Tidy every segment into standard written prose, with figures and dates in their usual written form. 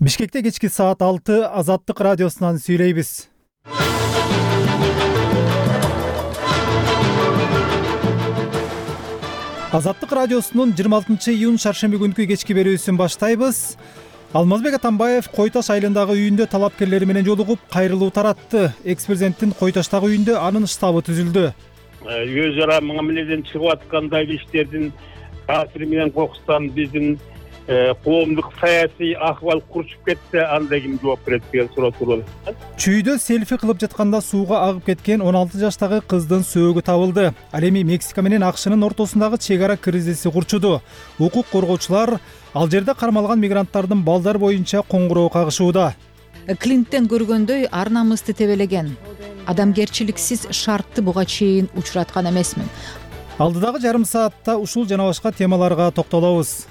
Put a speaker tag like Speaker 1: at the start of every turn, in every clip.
Speaker 1: Бишкекте кечки саат 6 Азаттык радиосунан сүйлөйбүз. Азаттык радиосунун 26-июнь шаршемби күнкү кечки берүүсүн баштайбыз. Алмазбек Атамбаев Кой Таш айылындагы үйүндө талапкерлери менен жолугуп, кайрылуу таратты. Экс-президенттин Кой Таштагы үйүндө анын штабы түзүлдү.
Speaker 2: Өз ара мамиледен чыгып аткандай иштердин таасири менен кокустан биздин коомдук саясий акыбал курчуп кетсе, анда ким жооп берет деген суроо тууралуу.
Speaker 1: Чүйдө селфи кылып жатканда сууга агып кеткен 16 жаштагы кыздын сөөгү табылды. Ал эми Мексика менен АКШнын ортосундагы чек ара кризиси курчуду. Укук коргоочулар ал жерде кармалган мигранттардын балдар боюнча коңгуроо кагышууда.
Speaker 3: Клинттен көргөндөй ар намысты тебелеген. Адамгерчиликсиз шартты буга чейин учураткан эмесмин.
Speaker 1: Алдыдагы жарым саатта ушул жана башка темаларга токтолобуз.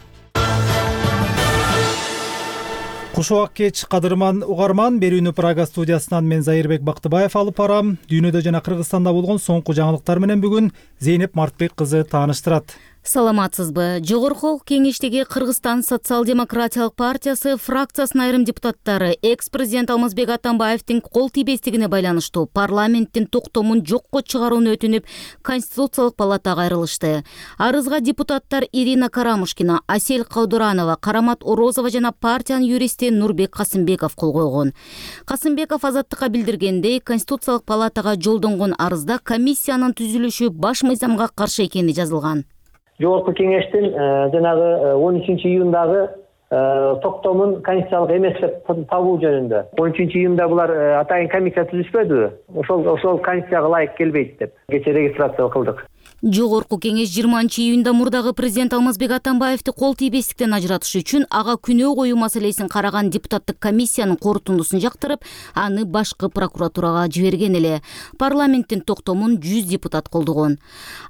Speaker 1: Кушубак кеч кадырман угарман, берүүнү Прага студиясынан мен Зайырбек Бактыбаев алып барам. Дүйнөдө жана Кыргызстанда болгон соңку жаңылыктар менен бүгүн Зейнеп Мартбек кызы тааныштырат.
Speaker 4: Саламатсызбы? Жогорку Кеңештеги Кыргызстан социал-демократиялык партиясы фракциясынын айрым депутаттары экс-президент Алмазбек Атамбаевдин кол тийбестигине байланыштуу парламенттин токтомун жокко чыгарууну өтүнүп, Конституциялык палатага кайрылышты. Арызга депутаттар Ирина Карамушкина, Асель Каудуранова, Карамат Орозова жана партиянын юристи Нурбек Касымбеков кол койгон. Касымбеков Азаттыкка билдиргендей, Конституциялык палатага жолдонгон арызда комиссиянын түзүлүшү баш мыйзамга каршы экени жазылган.
Speaker 5: Жогорку кеңештин жанагы 13-июндагы токтомун конституциялык эмес деп табуу жөнүндө 13-июнда булар атайын комиссия түзүшпөдүбү? Ошол конституцияга ылайык келбейт деп кечээ регистрация кылдык.
Speaker 4: Жогорку кеңеш 20-июнда мурдагы президент Алмазбек Атамбаевди кол тийбестиктен ажыратыш үчүн ага күнөө коюу маселесин караган депутаттык комиссиянын корутундусун жактырып, аны башкы прокуратурага жиберген эле. Парламенттин токтомун 100 депутат колдогон.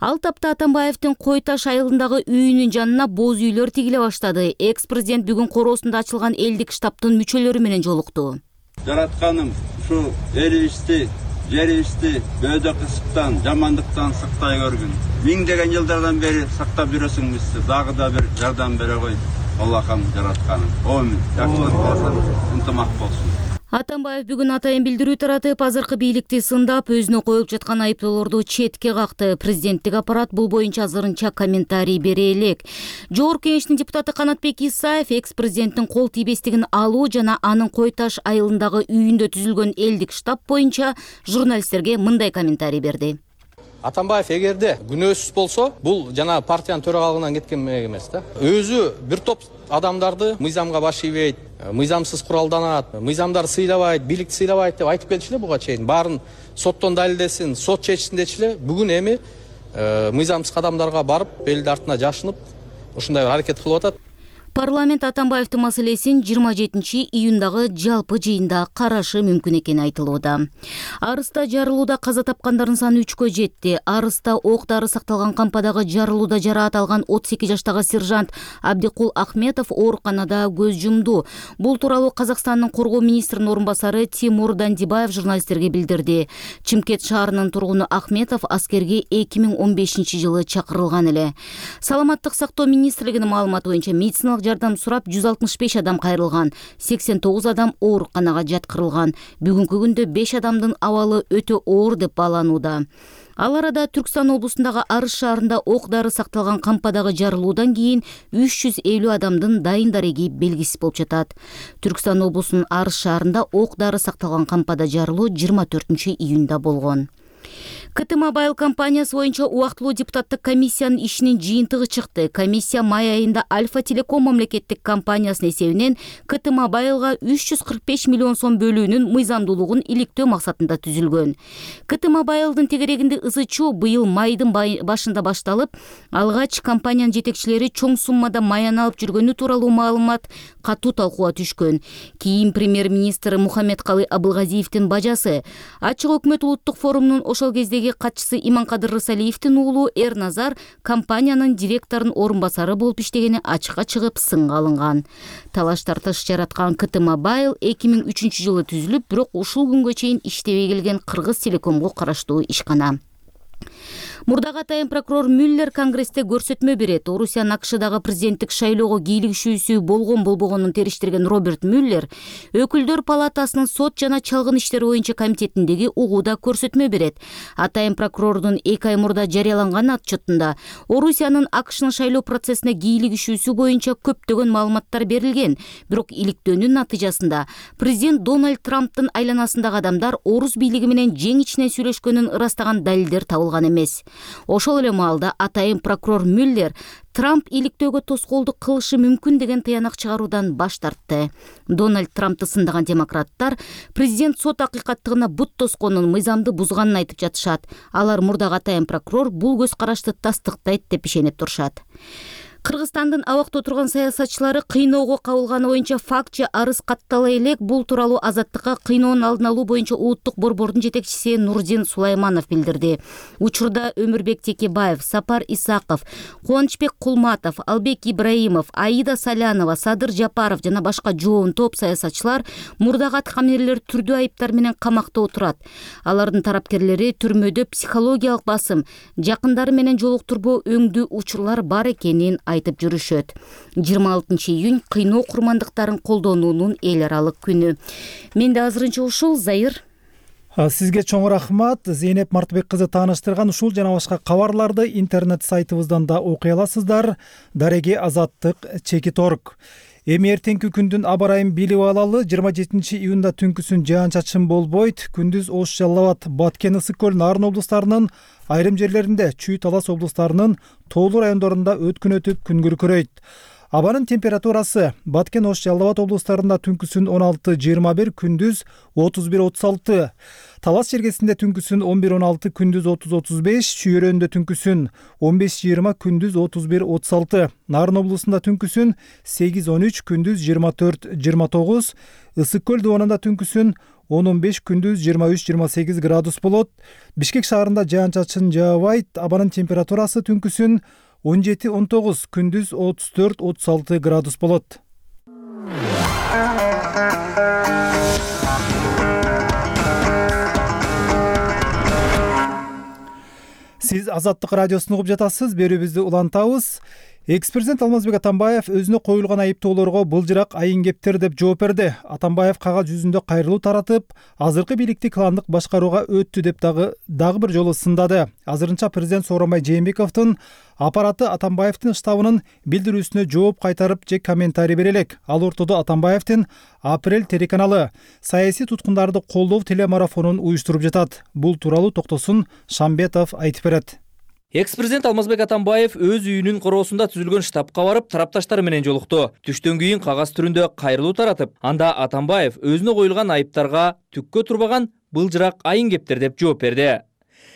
Speaker 4: Ал тапта Атамбаевдин Кой Таш айылындагы үйүнүн жанына боз үйлөр тигиле баштады. Экс-президент бүгүн короосунда ачылган элдик штабтын мүчөлөрү менен жолукту.
Speaker 6: Жаратканым ушу элибизди, жерибизди бөөдө кысыктан, жамандыктан сактай көргүн. Миңдеген жылдардан бери сактап жүрөсүң бизди. Дагы да бир жардам бере кой. Аллахым жаратканым. Омин. Жакшылык болсун, ынтымак болсун.
Speaker 4: Атамбаев бүгүн атайын билдирүү таратып, азыркы бийликти сындап, өзүнө коюп жаткан айыптоолорду четке какты. Президенттик аппарат бул боюнча азырынча комментарий бере элек. Жогорку кеңештин депутаты Канатбек Исаев экс-президенттин кол тийбестигин алуу жана анын Кой Таш айылындагы үйүндө түзүлгөн элдик штаб боюнча журналисттерге мындай комментарий берди.
Speaker 7: Атамбаев эгерде күнөөсүз болсо, бул жана партиянын төрагалыгынан кеткен эмес да. Өзү бир топ адамдарды мыйзамга баш ийбейт, мыйзамсыз куралданат, мыйзамдар сыйлабайт, бийликти сыйлабайт деп айтып келчү эле буга чейин. Баарын соттон далилдесин, сот чечсин дечи эле. Бүгүн эми мыйзамсыз кадамдарга барып, элди артына жашынып, ушундай бир аракет кылып атат.
Speaker 4: Парламент Атамбаевдин маселесин 27-июндагы жалпы жыйында карашы мүмкүн экени айтылууда. Арыста жарылууда каза тапкандардын саны 3кө жетти. Арыста ок-дары сакталган кампадагы жарылууда жараат алган 32 жаштагы сержант Абдикул Ахметов ооруканада көз жумду. Бул тууралуу Казакстандын коргоо министринин орун басары Тимур Дандибаев журналисттерге билдирди. Чымкент шаарынын тургуну Ахметов аскерге 2015-жылы чакырылган эле. Саламаттык сактоо министрлигинин маалыматы боюнча медициналык жардам сурап 165 адам кайрылган, 89 адам ооруканага жаткырылган. Бүгүнкү күндө 5 адамдын абалы өтө оор деп бааланууда. Ал арада Түркстан облусундагы Арыс шаарында ок-дары сакталган кампадагы жарылуудан кийин 350 адамдын дайын дареги белгисиз болуп жатат. Түркстан облусунун Арыс шаарында ок-дары сакталган кампада жарылуу 24-июнда болгон. КТ Мобайл компаниясы боюнча убактылуу депутаттык комиссиянын ишинин жыйынтыгы чыкты. Комиссия май айында Альфа Телеком мамлекеттик компаниясынын эсебинен КТ Мобайлга 345 миллион сом бөлүүнүн мыйзамдуулугун иликтөө максатында түзүлгөн. КТ Мобайлдын тегерегинде ызычуу быйыл майдын башында башталып, алгач компаниянын жетекчилери чоң суммада маян алып жүргөнү тууралуу маалымат катуу талкууга түшкөн. Кийин премьер-министр Мухаммедкалый Абылгазиевдин бажасы Ачык өкмөт улуттук форумунун ошол кездеги катчысы Иманкадыр Рысалиевдин уулу Эрназар компаниянын директорунун орун басары болуп иштегени ачыкка чыгып сынга алынган. Талаш тартыш жараткан КТ Мобайл 2003-жылы түзүлүп, бирок ушул күнгө чейин иштебей келген Кыргыз Телекомго караштуу ишкана. Мурдагы атайын прокурор Мюллер Конгрессте көрсөтмө берет. Орусиянын АКШдагы президенттик шайлоого кийлигишүүсү болгон-болбогонун териштирген Роберт Мюллер Өкүлдөр палатасынын сот жана чалгын иштери боюнча комитетиндеги угууда көрсөтмө берет. Атайын прокурордун 2 ай мурда жарыяланган отчетунда Орусиянын АКШнын шайлоо процессине кийлигишүүсү боюнча көптөгөн маалыматтар берилген. Бирок иликтөөнүн натыйжасында президент Дональд Трамптын айланасындагы адамдар орус бийлиги менен жең ичинен сүйлөшкөнүн ырастаган далилдер табылган эмес. Ошол эле маалда атайын прокурор Мюллер Трамп иликтөөгө тоскоолдук кылышы мүмкүн деген тыянак чыгаруудан баш тартты. Дональд Трампты сындаган демократтар президент сот акыйкаттыгына бут тосконун, мыйзамды бузганын айтып жатышат. Алар мурдагы атайын прокурор бул көз карашты тастыктайт деп ишенип турушат. Кыргызстандын абакта отурган саясатчылары кыйноого кабылганы боюнча факт же арыз каттала элек. Бул тууралуу Азаттыкка кыйноонун алдын алуу боюнча улуттук борбордун жетекчиси Нурдин Сулайманов билдирди. Учурда Өмүрбек Текебаев, Сапар Исаков, Кубанычбек Кулматов, Албек Ибраимов, Аида Салянова, Садыр Жапаров жана башка жоон топ саясатчылар мурдагы аткаминерлер түрдүү айыптар менен камакта отурат. Алардын тарапкерлери түрмөдө психологиялык басым, жакындары менен жолуктурбоо өңдүү учурлар бар экенин айтып жүрүшөт. 26 июнь кыйноо курмандыктарын колдонуунун эл аралык күнү. Менде азырынча ушул. Зайыр.
Speaker 1: Сизге чоң рахмат. Зейнеп Мартыбек кызы тааныштырган ушул жана башка кабарларды интернет сайтыбыздан да окуй аласыздар. Дареги Азаттык _org. Эми эртеңки күндүн аба ырайын билип алалы. 27 июнда түнкүсүн жаан-чачын болбойт. Күндүз Ош, Жалал Абад, Баткен, Ысык көл, Нарын облустарынын айрым жерлеринде, Чүй, Талас облустарынын тоолуу райондорунда өткүн өтүп күн күркүрөйт. Абанын температурасы Баткен, Ош, Жалал Абад облустарында түнкүсүн 16-21, күндүз 31-36. Талас жергесинде түнкүсүн 11-16, күндүз 30-35, Чүйөрөндө түнкүсүн 15-20, күндүз 31-36. Нарын облусунда түнкүсүн 8-13, күндүз 24-29. Ысык көл дубанында түнкүсүн 10-15, күндүз 23-28 градус болот. Бишкек шаарында жаан-чачын жаабайт. Абанын температурасы түнкүсүн 17-19, күндүз 34-36 градус болот. Сиз Азаттык радиосун угуп жатасыз. Берүүбүздү улантабыз. Экс-президент Алмазбек Атамбаев өзүнө коюлган айыптоолорго былжырак айын кептер деп жооп берди. Атамбаев кагаз жүзүндө кайрылуу таратып, азыркы бийликти кландык башкарууга өттү деп дагы бир жолу сындады. Азырынча президент Сооронбай Жээнбековдун аппараты Атамбаевдин штабынын билдирүүсүнө жооп кайтарып же комментарий бере элек. Ал ортодо Атамбаевдин Апрель телеканалы саясий туткундарды колдоо телемарафонун уюштуруп жатат. Бул тууралуу Токтосун Шамбетов айтып берет.
Speaker 8: Экс-президент Алмазбек Атамбаев өз үйүнүн короосунда түзүлгөн штабка барып, тарапташтары менен жолукту. Түштөн кийин кагаз түрүндө кайрылуу таратып, анда Атамбаев өзүнө коюлган айыптарга түккө турбаган былжырак айын кептер деп жооп берди.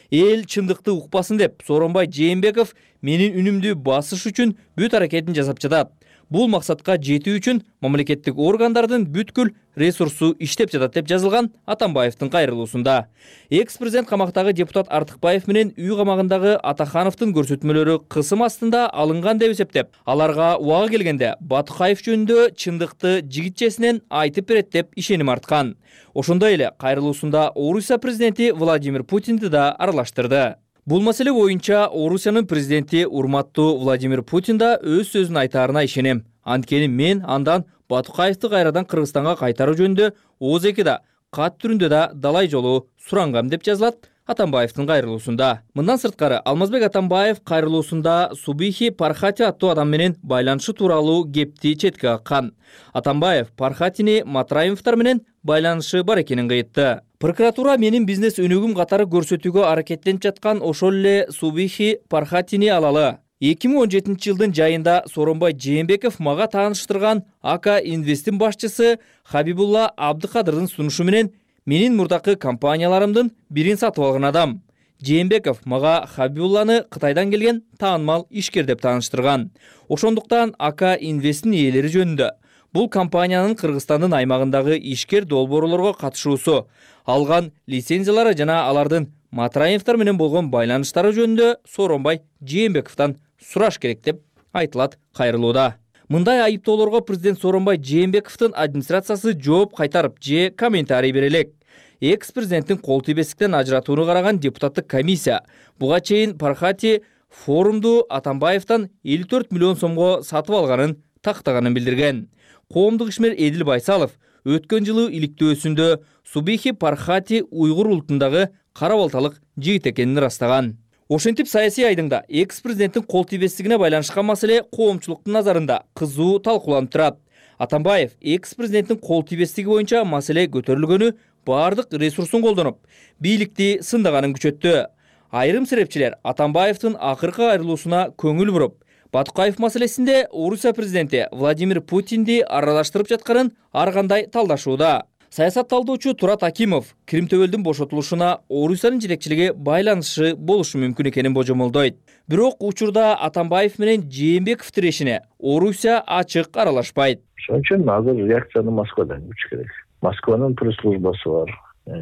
Speaker 8: Эл чындыкты укпасын деп Сооронбай Жээнбеков менин үнүмдү басыш үчүн бүт аракетин жасап жатат. Бул максатка жетүү үчүн мамлекеттик органдардын бүткүл ресурсу иштеп жатат деп жазылган Атамбаевдин кайрылуусунда. Экс-президент камактагы депутат Артыкбаев менен үй камагындагы Атахановдун көрсөтмөлөрү кысым астында алынган деп эсептеп, аларга убагы келгенде Батукаев жөнүндө чындыкты жигитчесинен айтып берет деп ишеним арткан. Ошондой эле кайрылуусунда Орусия президенти Владимир Путинди да аралаштырды. Бул маселе боюнча Орусиянын президенти урматтуу Владимир Путин да өз сөзүн айтаарына ишенем. Анткени мен андан Батукаевди кайрадан Кыргызстанга кайтаруу жөнүндө ООЗ-да кат түрүндө да далай жолу сурангам деп жазылат Атамбаевдин кайрылуусунда. Мындан сырткары Алмазбек Атамбаев кайрылуусунда Субихи Пархати аттуу адам менен байланышы тууралуу кепти четке каккан. Атамбаев Пархатини Матраимовдор менен байланышы бар экенин кыйтты. Прокуратура менин бизнес өнүгүм катары көрсөтүүгө аракеттенип жаткан ошол эле Субихи Пархатини алалы. 2017 жылдын жайында Сооронбай Жээнбеков мага тааныштырган АК Инвестин башчысы Хабибулла Абдыкадырдын сунушу менен менин мурдакы компанияларымдын бирин сатып алган адам. Жээнбеков мага Хабибулланы Кытайдан келген таанымал ишкер деп тааныштырган. Ошондуктан АК Инвестин ээлери жөнүндө бул компаниянын Кыргызстандын аймагындагы ишкер долбоорлорго катышуусу, алган лицензиялары жана алардын Матраимовдор менен болгон байланыштары жөнүндө Сооронбай Жээнбековдон сураш керек деп айтылат кайрылууда. Мындай айыптоолорго президент Сооронбай Жээнбековдун администрациясы жооп кайтарып же комментарий бере элек. экс президенттин кол тийбестиктен ажыратууну караган депутаттык комиссия буга чейин Пархати форумду Атамбаевден 54 миллион сомго сатып алганын тактаганын билдирген. Коомдук ишмер Эдил Байсалов өткөн жылы иликтөөсүндө Субихи Пархати уйгур улутундагы кара балталык жигит экенин ырастаган. Ошентип саясий айдыңда экс президенттин кол тийбестигине байланышкан маселе коомчулуктун назарында кызуу талкууланып турат. Атамбаев экс президенттин кол тийбестиги боюнча маселе көтөрүлгөнү бардык ресурсун колдонуп, бийликти сындаганын күчөттү. Айрым серепчилер Атамбаевдин акыркы айрылуусуна көңүл буруп, Батукаев маселесинде Орусия президенти Владимир Путинди аралаштырып жатканын ар кандай талдашууда. Саясат талдоочу Турат Акимов Крим төбөлдүн бошотулушуна Орусиянын жетекчилиги байланышы болушу мүмкүн экенин божомолдойт. Бирок учурда Атамбаев менен Жээнбеков тирешине Орусия ачык аралашпайт.
Speaker 9: Ошон үчүн азыр реакцияны Москвадан күтүш керек. Москванын пресс-службасы бар.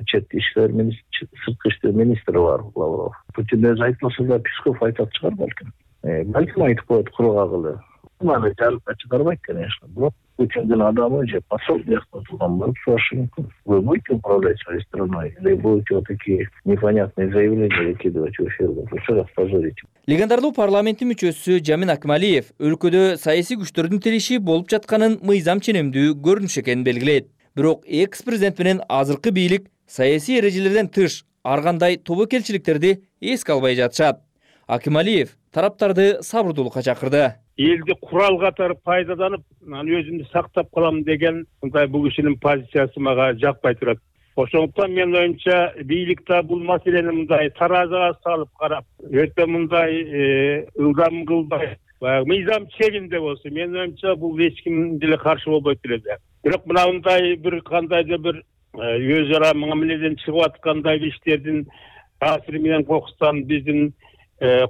Speaker 9: Чет иштер министри, сырткы иштер министри бар Лавров. Путин өзү айтмаса да Песков айтат чыгар балким. Балким айтып коет куру кагылы. Маны жарыпка чыгарбайт, конечно. Бирок Путиндин адамы же посол жактан турган болуп сурашы мүмкүн. Вы будете управлять своей страной или будете вот такие непонятные заявления выкидывать в эфир? Что раз позорите?
Speaker 8: Легендарлуу парламенттин мүчөсү Жамин Акмалиев өлкөдө саясий күчтөрдүн тиреши болуп жатканын мыйзам ченемдүү көрүнүш экенин белгилейт. Бирок экс президент менен азыркы бийлик саясий эрежелерден тыш ар кандай тобокелчиликтерди эске албай жатышат. Акмалиев тараптарды сабырдуулукка чакырды.
Speaker 2: Элди курал катары пайдаланып, өзүмдү сактап калам деген мындай бул кишинин позициясы мага жакпай турат. Ошондуктан мен оюмча бийликте бул маселени мындай таразага салып карап, өтө мындай ылдам кылбай, мыйзам чегинде болсо, мен оюмча бул эч ким деле каршы болбойт эле. Бирок мындай бир кандайдыр бир өз ара мамиледен чыгып аткандай иштердин таасири менен кокустан биздин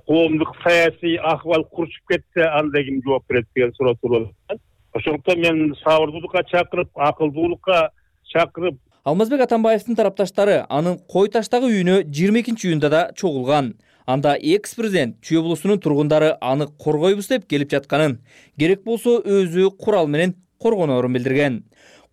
Speaker 2: коомдук саясий акыбал курчуп кетсе, анда ким жооп берет деген суроо туруп атат. Ошондуктан мен сабырдуулукка чакырып, акылдуулукка чакырып.
Speaker 8: Алмазбек Атамбаевдин тарапташтары анын Кой таштагы үйүнө 22-июнда да чогулган. Анда экс президент Чүй облусунун тургундары аны коргойбуз деп келип жатканын, керек болсо өзү курал менен коргоноорун билдирген.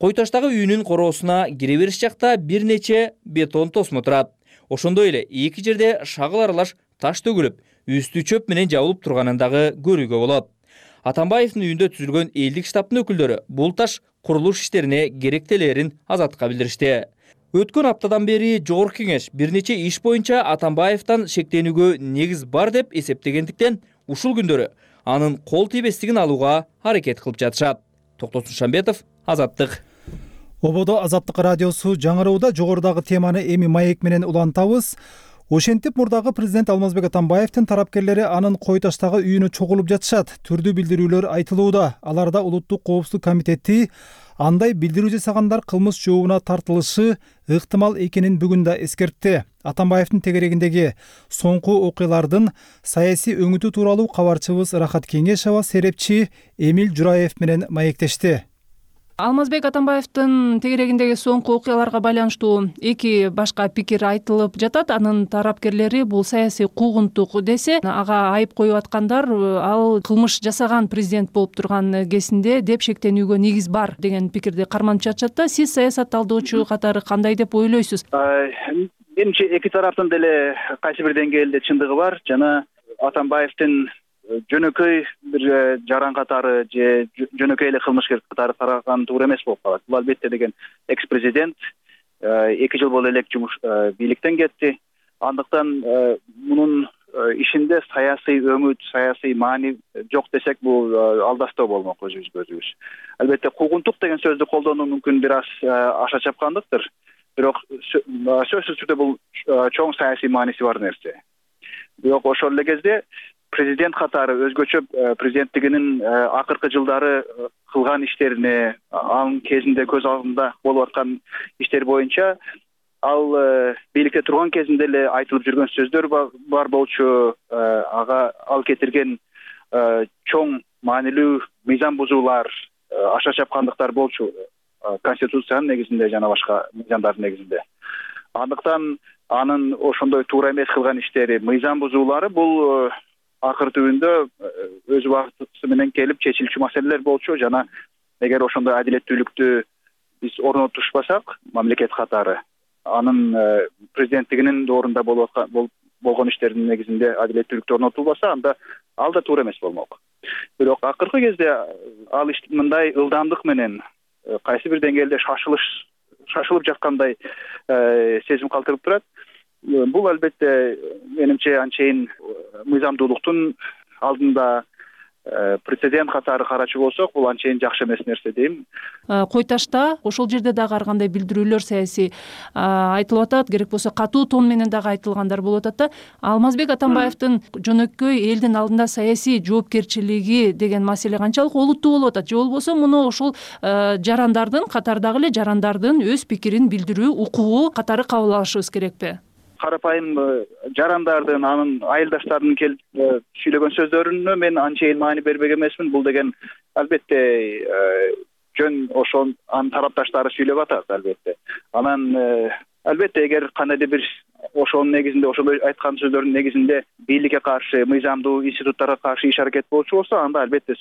Speaker 8: Кой таштагы үйүнүн короосуна кире бериш жакта бир нече бетон тосмо турат. Ошондой эле эки жерде шагыл аралаш таш төгүлүп, үстү чөп менен жабылып турганын дагы көрүүгө болот. Атамбаевдин үйүндө түзүлгөн элдик штабтын өкүлдөрү бул таш курулуш иштерине керектелерин Азаттыкка билдиришти. Өткөн аптадан бери Жогорку Кеңеш бир нече иш боюнча Атамбаевден шектенүүгө негиз бар деп эсептегендиктен ушул күндөрү анын кол тийбестигин алууга аракет кылып жатышат. Токтосун Шамбетов, Азаттык.
Speaker 1: Ободо Азаттык радиосу жаңырууда жогорудагы теманы эми маек менен улантабыз. Ошентип мурдагы президент Алмазбек Атамбаевдин тарапкерлери анын Кой таштагы үйүнө чогулуп жатышат. Түрдүү билдирүүлөр айтылууда. Аларда Улуттук коопсуздук комитети андай билдирүү жасагандар кылмыш жообуна тартылышы ыктымал экенин бүгүн да эскертти. Атамбаевдин тегерегиндеги соңку окуялардын саясий өңүтү тууралуу кабарчыбыз Рахат Кеңешова серепчи Эмил Жураев менен маектешти.
Speaker 10: Алмазбек Атамбаевдин тегерегиндеги соңку окуяларга байланыштуу эки башка пикир айтылып жатат. Анын тарапкерлери бул саясий куугунтук десе, ага айып коюп аткандар ал кылмыш жасаган президент болуп турган кезинде деп шектенүүгө негиз бар деген пикирди карманып жатышат да. Сиз саясат талдоочу катары кандай деп ойлойсуз?
Speaker 11: Менимче эки тараптын деле кайсы бир деңгээлде чындыгы бар. Жана Атамбаевдин жөнөкөй бир жаран катары же жөнөкөй эле кылмышкер катары тараган туура эмес болуп калат. Бул албетте деген экс президент 2 жыл боло элек жумуш бийликтен кетти. Андыктан мунун ишинде саясий өңүт, саясий маани жок десек бул алдастоо болмок өзүбүзгө өзүбүз. Албетте куугунтук деген сөздү колдонуу мүмкүн бир аз аша чапкандыктыр. Бирок сөзсүз түрдө бул чоң саясий мааниси бар нерсе. Бирок ошол эле кезде президент катары өзгөчө президенттигинин акыркы жылдары кылган иштерине, анын кезинде көз алдында болуп аткан иштер боюнча ал бийликте турган кезинде эле айтылып жүргөн сөздөр бар болчу. Ал кетирген чоң маанилүү мыйзам бузуулар, аша чапкандыктар болчу конституциянын негизинде жана башка мыйзамдардын негизинде. Андыктан анын ошондой туура эмес кылган иштери, мыйзам бузуулары бул акыр түбүндө өз убакыты менен келип чечилчү маселелер болчу. Жана эгер ошондой адилеттүүлүктү биз орнотушпасак, мамлекет катары анын президенттигинин доорунда болгон иштердин негизинде адилеттүүлүктү орнотулбаса, анда ал да туура эмес болмок. Бирок акыркы кезде ал иш мындай ылдамдык менен кайсы бир деңгээлде шашылып жаткандай сезим калтырып турат. Бул албетте менимче анчейин мыйзамдуулуктун алдында прецедент катары карачу болсок, бул анчейин жакшы эмес нерсе дейм.
Speaker 10: Кой ташта ошол жерде дагы ар кандай билдирүүлөр саясий айтылып атат, керек болсо катуу тон менен дагы айтылгандар болуп атат да. Алмазбек Атамбаевдин жөнөкөй элдин алдында саясий жоопкерчилиги деген маселе канчалык олуттуу болуп атат? Же болбосо муну ошол жарандардын, катардагы эле жарандардын өз пикирин билдирүү укугу катары кабыл алышыбыз керекпи?
Speaker 11: Карапайым жарандардын, анын айылдаштарынын келип сүйлөгөн сөздөрүнө мен анчейин маани бербек эмесмин. Бул деген албетте жөн ошол анын тарапташтары сүйлөп атат албетте. Анан албетте эгер кандайдыр бир ошонун негизинде, ошол айткан сөздөрдүн негизинде бийликке каршы, мыйзамдуу институттарга каршы иш аракет болчу болсо, анда албетте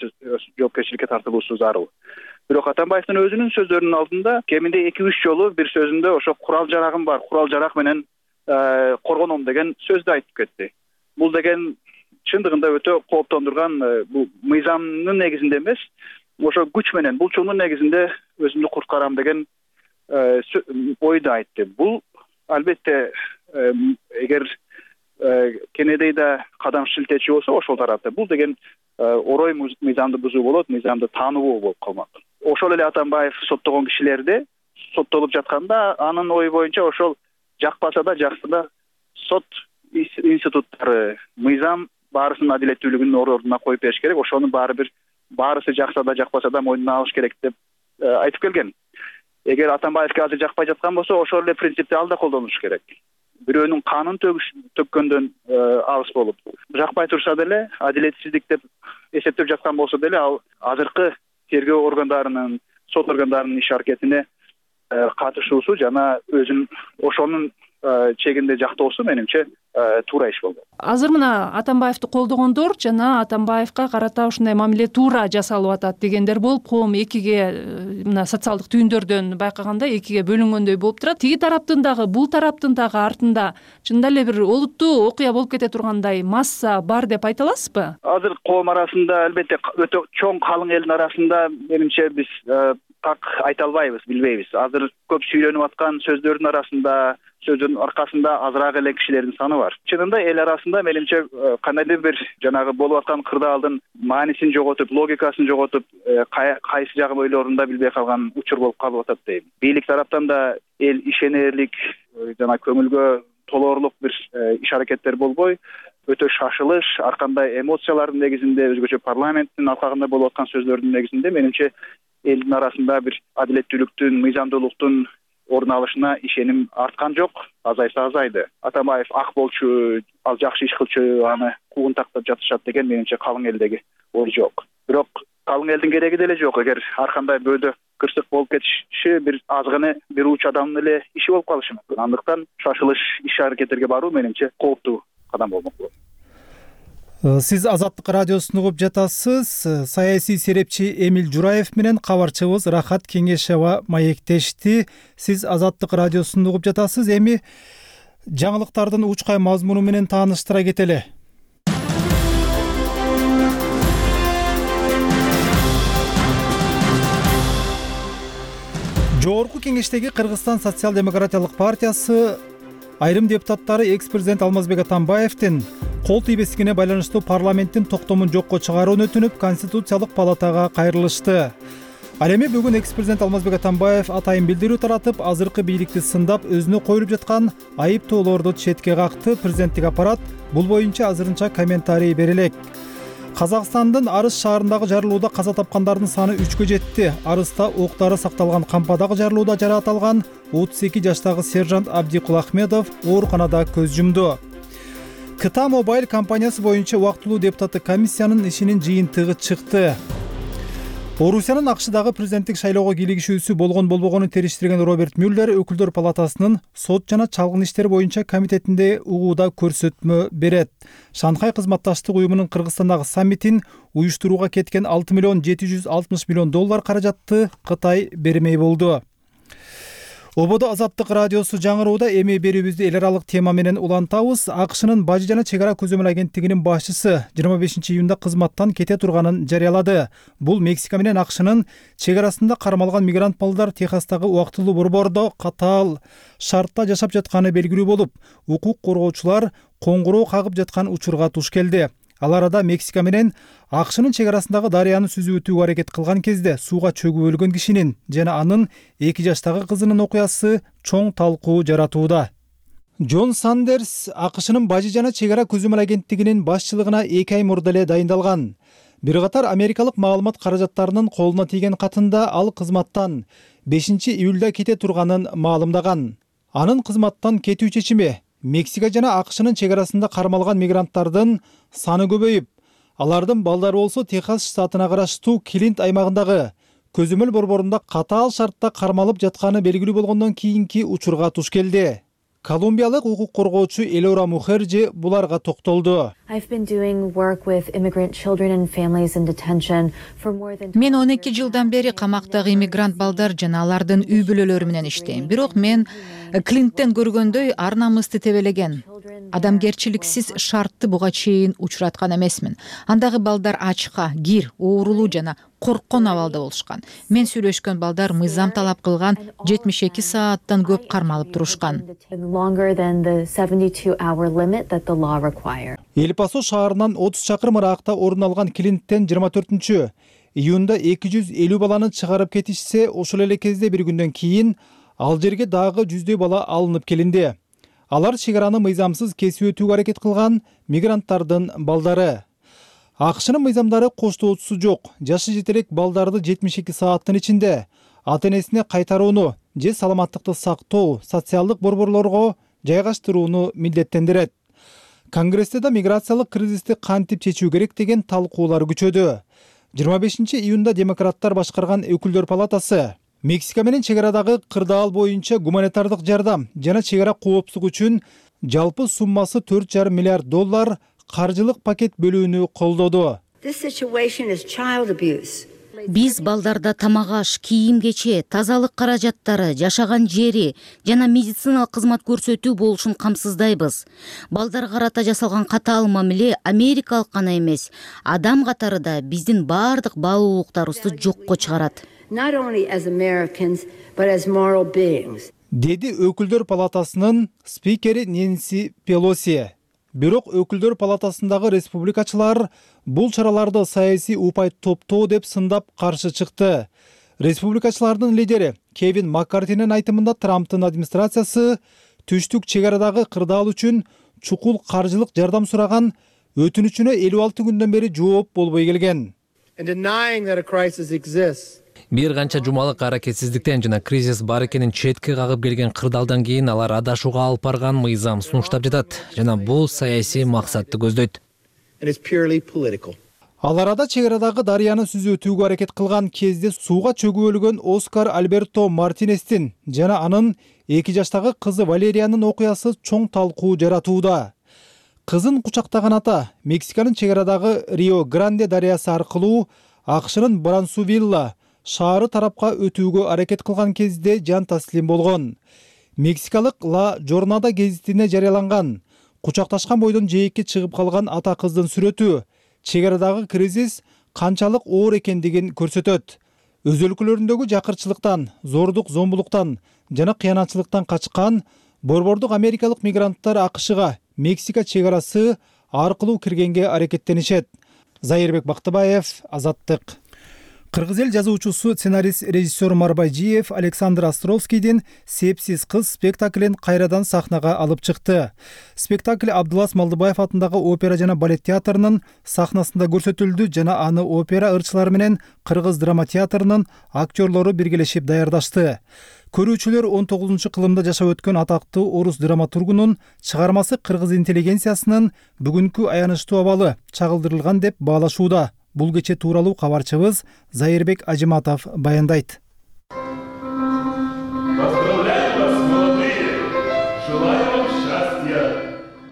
Speaker 11: жоопкерчиликке тартылуусу зарыл. Бирок Атамбаевдин өзүнүн сөздөрүнүн алдында кеминде 2-3 жолу бир сөзүндө ошо курал-жарагым бар, курал-жарак менен коргоном деген сөздү айтып кетти. Бул деген чындыгында өтө кооптондурган, бул мыйзамдын негизинде эмес, ошо күч менен, булчундун негизинде өзүмдү куткарам деген ойду айтты. Бул албетте эгер кенедей да кадам шилтечү болсо ошол тарапта, бул деген орой мыйзамды бузуу болот, мыйзамды таануу болуп калмак. Ошол эле Атамбаев соттогон кишилерде соттолуп жатканда анын ою боюнча ошол жакпаса да жакса да сот институттары, мыйзам баарысынын адилеттүүлүгүнүн ордуна коюп бериш керек. Ошонун баарысы жакса да жакпаса да мойнуна алыш керек деп айтып келген. Эгер Атамбаевге азыр жакпай жаткан болсо, ошол эле принципти ал да колдонуш керек. Бирөөнүн канын төккөндөн алыс болуп, жакпай турса деле, адилетсиздик деп эсептеп жаткан болсо деле, ал азыркы тергөө органдарынын, сот органдарынын иш аракетине катышуусу жана өзүн ошонун чегинде жактоосу менимче туура иш болду.
Speaker 10: Азыр мына Атамбаевди колдогондор жана Атамбаевга карата ушундай мамиле туура жасалып атат дегендер болуп, коом экиге, мына социалдык түйүндөрдөн байкаганда экиге бөлүнгөндөй болуп турат. Тиги тараптын дагы, бул тараптын дагы артында чындап эле бир олуттуу окуя болуп кете тургандай масса бар деп айта аласызбы?
Speaker 11: Азыр коом арасында, албетте өтө чоң калың элдин арасында менимче биз так айта албайбыз, билбейбиз. Азыр көп сүйлөнүп аткан сөздөрдүн арасында, сөздөрдүн аркасында азыраак эле кишилердин саны бар. Чынында эл арасында менимче кандайдыр бир жанагы болуп аткан кырдаалдын маанисин жоготуп, логикасын жоготуп, кайсы жагын ойлорунда билбей калган учур болуп калып атат дейм. Бийлик тараптан да эл ишенерлик, жана көңүлгө толоорлук бир иш аракеттер болбой, өтө шашылыш, ар кандай эмоциялардын негизинде, өзгөчө парламенттин алкагында болуп аткан сөздөрдүн негизинде менимче элдин арасында бир адилеттүүлүктүн, мыйзамдуулуктун орун алышына ишеним арткан жок, азайса азайды. Атамбаев ак болчу, ал жакшы иш кылчу, аны куугун тактап жатышат деген менимче калың элдеги ой жок. Бирок калың элдин кереги деле жок. Эгер ар кандай бөөдө кырсык болуп кетиши бир азгыны бир уч адамдын эле иши болуп калышы мүмкүн. Андыктан шашылыш иш аракеттерге баруу менимче кооптуу кадам болмок болот.
Speaker 1: Сиз Азаттык радиосун угуп жатасыз. Саясий серепчи Эмил Жураев менен кабарчыбыз Рахат Кеңешева маектешти. Сиз Азаттык радиосун угуп жатасыз. Эми жаңылыктардын учкай мазмуну менен тааныштыра кетели. Жогорку кеңештеги Кыргызстан социал-демократиялык партиясы айрым депутаттары экс-президент Алмазбек Атамбаевдин кол тийбестигине байланыштуу парламенттин токтомун жокко чыгарууну өтүнүп, Конституциялык палатага кайрылышты. Ал эми бүгүн экс-президент Алмазбек Атамбаев атайын билдирүү таратып, азыркы бийликти сындап, өзүнө коюлуп жаткан айыптоолорду четке какты. Президенттик аппарат бул боюнча азырынча комментарий бере элек. Казакстандын Арыс шаарындагы жарылууда каза тапкандардын саны 3кө жетти. Арыста октары сакталган кампадагы жарылууда жараат алган 32 жаштагы сержант Абдикул Ахмедов ооруканада көз жумду. КТА Мобайл компаниясы боюнча убактылуу депутаттык комиссиянын ишинин жыйынтыгы чыкты. Орусиянын АКШдагы президенттик шайлоого кийлигишүүсү болгон-болбогонун териштирген Роберт Мюллер Өкүлдөр палатасынын сот жана чалгын иштер боюнча комитетинде угууда көрсөтмө берет. Шанхай кызматташтык уюмунун Кыргызстандагы саммитин уюштурууга кеткен $6,760 миллион каражатты Кытай бермей болду. Ободо Азаттык радиосу жаңырууда эми берүүбүздү эл аралык тема менен улантабыз. АКШнын Бажы жана чек ара көзөмөл агенттигинин башчысы 25-июнда кызматтан кете турганын жарыялады. Бул Мексика менен АКШнын чек арасында кармалган мигрант балдар Техастагы убактылуу борбордо катаал шартта жашап жатканы белгилүү болуп, укук коргоочулар коңгуроо кагып жаткан учурга туш келди. Ал арада Мексика менен АКШнын чек арасындагы дарыяны сүзүп өтүүгө аракет кылган кезде сууга чөгүп өлгөн кишинин жана анын 2 жаштагы кызынын окуясы чоң талкуу жаратууда. Джон Сандерс АКШнын Бажы жана чек ара көзөмөл агенттигинин башчылыгына 2 ай мурда эле дайындалган. Бир катар америкалык маалымат каражаттарынын колуна тийген катында ал кызматтан 5-июлда кете турганын маалымдаган. Анын кызматтан кетүү чечими Мексика жана АКШнын чек арасында кармалган мигранттардын саны көбөйүп, алардын балдары болсо Техас штатына караштуу Клинт аймагындагы көзөмөл борборунда катаал шартта кармалып жатканы белгилүү болгондон кийинки учурга туш келди. Колумбиялык укук коргоочу Элора Мухерджи буларга токтолду.
Speaker 3: Мен 12 жылдан бери камактагы иммигрант балдар жана алардын үй бүлөлөрү менен иштейм. Бирок мен Клинттен көргөндөй ар намысты тебелеген, адамгерчиликсиз шартты буга чейин учураткан эмесмин. Андагы балдар ачка, кир, оорулуу жана корккон абалда болушкан. Мен сүйлөшкөн балдар мыйзам талап кылган 72 сааттан көп кармалып турушкан.
Speaker 1: Эль-Пасо шаарынан 30 чакырым ыракта орун алган Клинттен 24-июнда 250 баланы чыгарып кетишсе, ошол эле кезде бир күндөн кийин ал жерге дагы 100 бала алынып келинди. Алар чек араны мыйзамсыз кесип өтүүгө аракет кылган мигранттардын балдары. АКШнын мыйзамдары коштоочусу жок. Жашы жете элек балдарды 72 сааттын ичинде ата-энесине кайтарууну же саламаттыкты сактоо социалдык борборлорго жайгаштырууну милдеттендирет. Конгрессте да миграциялык кризисти кантип чечүү керек деген талкуулар күчөдү. 25-июнда демократтар башкарган өкүлдөр палатасы Мексика менен чек арадагы кырдаал боюнча гуманитардык жардам жана чек ара коопсуздук үчүн жалпы суммасы $4,5 миллиард каржылык пакет бөлүүнү колдоду.
Speaker 4: Биз балдарда тамак-аш, кийим-кече, тазалык каражаттары, жашаган жери жана медициналык кызмат көрсөтүү болушун камсыздайбыз. Балдарга карата жасалган катаал мамиле америкалык гана эмес, адам катары да биздин баардык баалуулуктарыбызды жокко чыгарат.
Speaker 1: Деди өкүлдөр палатасынын спикери Нэнси Пелоси. Бирок өкүлдөр палатасындагы республикачылар бул чараларды саясий упай топтоо деп сындап каршы чыкты. Республикачылардын лидери Кевин Маккартинин айтымында Трамптын администрациясы түштүк чек арадагы кырдаал үчүн чукул каржылык жардам сураган өтүнүчүнө 56 күндөн бери жооп болбой келген.
Speaker 12: Бир канча жумалык аракетсиздиктен жана кризис бар экенин четке кагып келген кырдаалдан кийин алар адашууга алып барган мыйзам сунуштап жатат жана бул саясий максатты көздөйт.
Speaker 1: Ал арада чек арадагы дарыяны сүзүп өтүүгө аракет кылган кезде сууга чөгүп өлгөн Оскар Альберто Мартинестин жана анын 2 жаштагы кызы Валериянын окуясы чоң талкуу жаратууда. Кызын кучактаган ата Мексиканын чек арадагы Рио Гранде дарыясы аркылуу АКШнын Брансувилла шаары тарапка өтүүгө аракет кылган кезде жан таслим болгон. Мексикалык Ла Жорнада гезитине жарыяланган кучакташкан бойдон жээкке чыгып калган ата кыздын сүрөтү чек арадагы кризис канчалык оор экендигин көрсөтөт. Өз өлкөлөрүндөгү жакырчылыктан, зордук зомбулуктан жана кыянатчылыктан качкан борбордук америкалык мигранттар АКШга Мексика чек арасы аркылуу киргенге аракеттенишет. Зайырбек Бактыбаев, Азаттык. Кыргыз эл жазуучусу, сценарист, режиссер Марбайжиев Александр Островскийдин «Сепсиз кыз» спектаклин кайрадан сахнага алып чыкты. Спектакль Абдулас Малдыбаев атындагы опера жана балет театрынын сахнасында көрсөтүлдү жана аны опера ырчылары менен Кыргыз драма театрынын актерлору биргелешип даярдашты. Көрүүчүлөр 19-кылымда жашап өткөн атактуу орус драматургунун чыгармасы кыргыз интеллигенциясынын бүгүнкү аянычтуу абалы чагылдырылган деп баалашууда. Бул кече тууралуу кабарчыбыз Зайырбек Ажиматов баяндайт.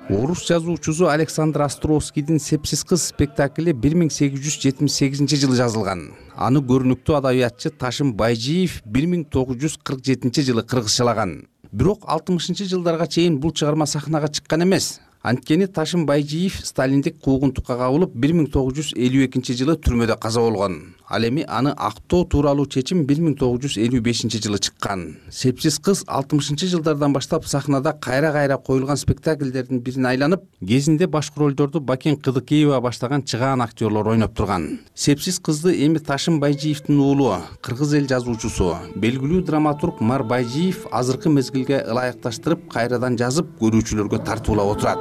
Speaker 13: Орус Орус жазуучусу Александр Островскийдин «Сепсиз кыз» спектакли 1878 жазылган. Аны көрүнүктүү адабиятчы Ташым Байжиев 1947 жылы кыргызчалаган. Бирок 60-жылдарга чейин бул чыгарма сахнага чыккан эмес. Анткени Ташым Байжиев сталиндик куугунтукка кабылып 1952 жылы түрмөдө каза болгон. Ал эми аны актоо тууралуу чечим 1955 жылы чыккан. «Сепсиз кыз» 60-жылдардан баштап сахнада кайра коюлган спектакльдердин бирине айланып, кезинде башкы ролдорду Бакен Кыдыкеева баштаган чыгаан актерлор ойноп турган. «Сепсиз кызды» эми Ташым Байжиевдин уулу, кыргыз эл жазуучусу, белгилүү драматург Мар Байжиев азыркы мезгилге ылайыкташтырып, кайрадан жазып, көрүүчүлөргө тартуулап отурат.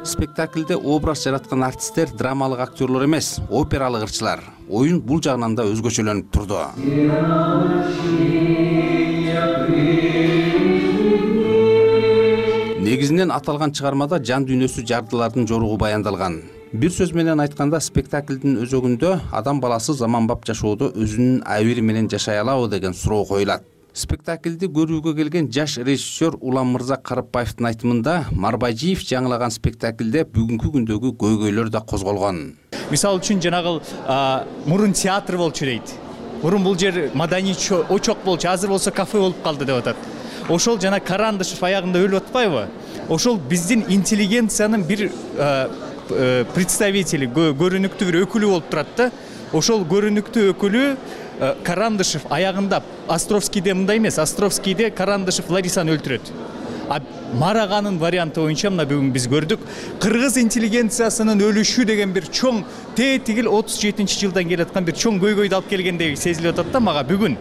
Speaker 13: Спектакльде образ жараткан артисттер драмалык актерлор эмес, опералык ырчылар. Оюн бул жагынан да өзгөчөлөнүп турду. Негизинен аталган чыгармада жан дүйнөсү жардылардын жоругу баяндалган. Бир сөз менен айтканда, спектаклдин өзөгүндө адам баласы заманбап жашоодо өзүнүн абийири менен жашай алабы деген суроо коюлат. Спектаклди көрүүгө келген жаш режиссер Улам Мырза Карыпбаевдин айтымында, Мар Байжиев жаңылаган спектаклде бүгүнкү күндөгү көйгөйлөр да козголгон.
Speaker 14: Мисалы үчүн жанагы мурун театр болчу дейт. Мурун бул жер маданий очок болчу, азыр болсо кафе болуп калды деп атат. Ошол жана Карандышев аягында өлүп атпайбы? Ошол биздин интеллигенциянын бир представители, көрүнүктүү бир өкүлү болуп турат да. Ошол көрүнүктүү өкүлү Карандышев аягында, Островскийде мындай эмес, Островскийде Карандышев Ларисаны өлтүрөт. А Мараганын варианты боюнча мына бүгүн биз көрдүк, кыргыз интеллигенциясынын өлүшү деген бир чоң тетигил 37-жылдан келаткан бир чоң көйгөйдү алып келгендей сезилип атат да мага бүгүн.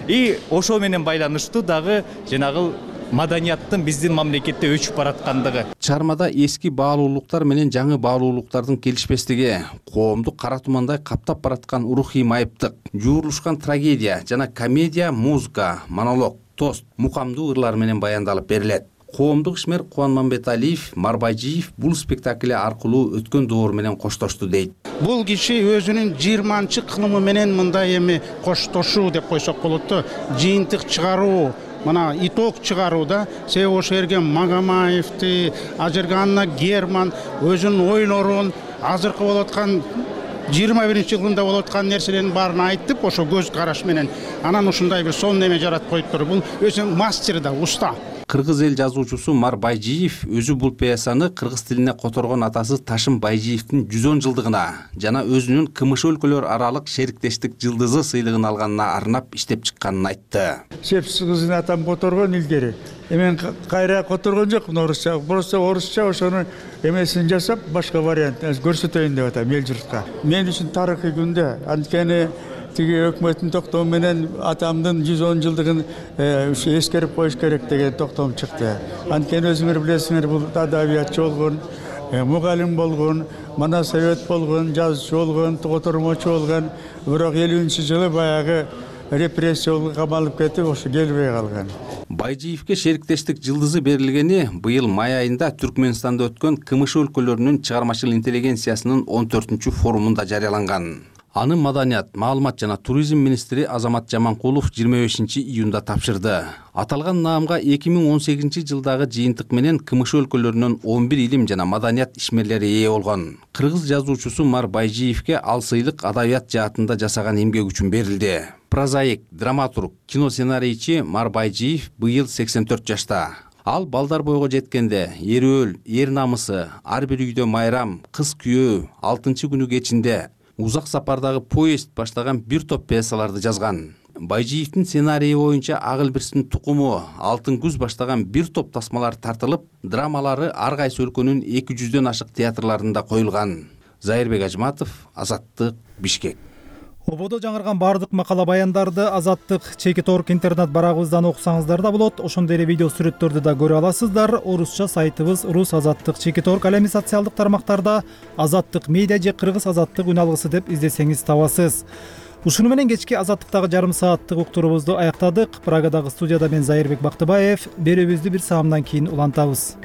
Speaker 14: И ошол менен байланыштуу дагы жанагы маданияттын биздин мамлекетте өчүп бараткандыгы.
Speaker 13: Чыгармада эски баалуулуктар менен жаңы баалуулуктардын келишпестиги, коомду кара тумандай каптап бараткан рухий майыптык, жуурулушкан трагедия жана комедия, музыка, монолог, тост, мукамдуу ырлар менен баяндалып берилет. Коомдук ишмер Кубан Мамбеталиев, Мар Байжиев бул спектакль аркылуу өткөн доор менен коштошту дейт.
Speaker 15: Бул киши өзүнүн 20 кылымы менен мындай эми коштошуу деп койсок болот да, жыйынтык чыгаруу, мына итог чыгарууда себеби ошол жерге Магомаевди, ал жерге Анна Герман өзүнүн ойлорун, азыркы болуп аткан 21-жылында болуп аткан нерселердин баарын айтып, ошо көз караш менен анан ушундай бир сонун эме жаратып коюптур. Бул өзү мастер да, уста.
Speaker 13: Кыргыз эл жазуучусу Мар Байжиев өзү бул пьесаны кыргыз тилине которгон атасы Ташым Байжиевдин 110 жылдыгына жана өзүнүн КМШ өлкөлөр аралык шериктештик жылдызы сыйлыгын алганына арнап иштеп чыкканын айтты.
Speaker 16: Сепсиз кызын атам которгон илгери. Эмен кайра которгон жокмун орусча. Просто орусча ошону эмесин жасап, башка вариант көрсөтөйүн деп атам эл журтка. Мен үчүн тарыхый күндө, анткени тиги өкмөттүн токтому менен атамдын 110 жылдыгын эскерип коюш керек деген токтом чыкты. Анткени өзүңөр билесиңер, бул адабиятчы болгон, мугалим болгон, мана совет болгон, жазуучу болгон, котормочу болгон, бирок 50-жылы баягы репрессияга камалып кетип, ошо келбей калган.
Speaker 13: Байжиевке шериктештик жылдызы берилгени быйыл май айында Түркмөнстанда өткөн КМШ өлкөлөрүнүн чыгармачыл интеллигенциясынын 14-форумунда жарыяланган. Аны Маданият, маалымат жана туризм министри Азамат Жаманкулов 25-июнда тапшырды. Аталган наамга 2018 жылдагы жыйынтык менен КМШ өлкөлөрүнөн 11 илим жана маданият ишмерлери ээ болгон. Кыргыз жазуучусу Мар Байжиевке ал сыйлык адабият жаатында жасаган эмгеги үчүн берилди. Прозаик, драматург, кино сценарийчи Мар Байжиев быйыл 84 жашта. Ал балдар бойго жеткенде Эр намысы, ар бир үйдө майрам, кыз күйөө, 6-күнү кечинде, узак сапардагы поезд баштаган бир топ пьесаларды жазган. Байжиевдин сценарийи боюнча Агылбирстин тукуму, Алтын күз баштаган бир топ тасмалар тартылып, драмалары ар кайсы өлкөнүн 200дөн ашык театрларында коюлган. Зайырбек Ажматов, Азаттык, Бишкек.
Speaker 1: Ободо жаңырган бардык макала баяндарды Азаттык Чекиторг интернет барагыбыздан окусаңыздар да болот. Ошондой эле видео сүрөттөрдү да көрө аласыздар. Орусча сайтыбыз Рус Азаттык Чекиторг, ал эми социалдык тармактарда Азаттык медиа же Кыргыз Азаттык үн алгысы деп издесеңиз табасыз. Ушуну менен кечки Азаттыктагы жарым сааттык уктуруубузду аяктадык. Прагадагы студияда мен Зайырбек Бактыбаев. Берүүбүздү бир саамдан кийин улантабыз.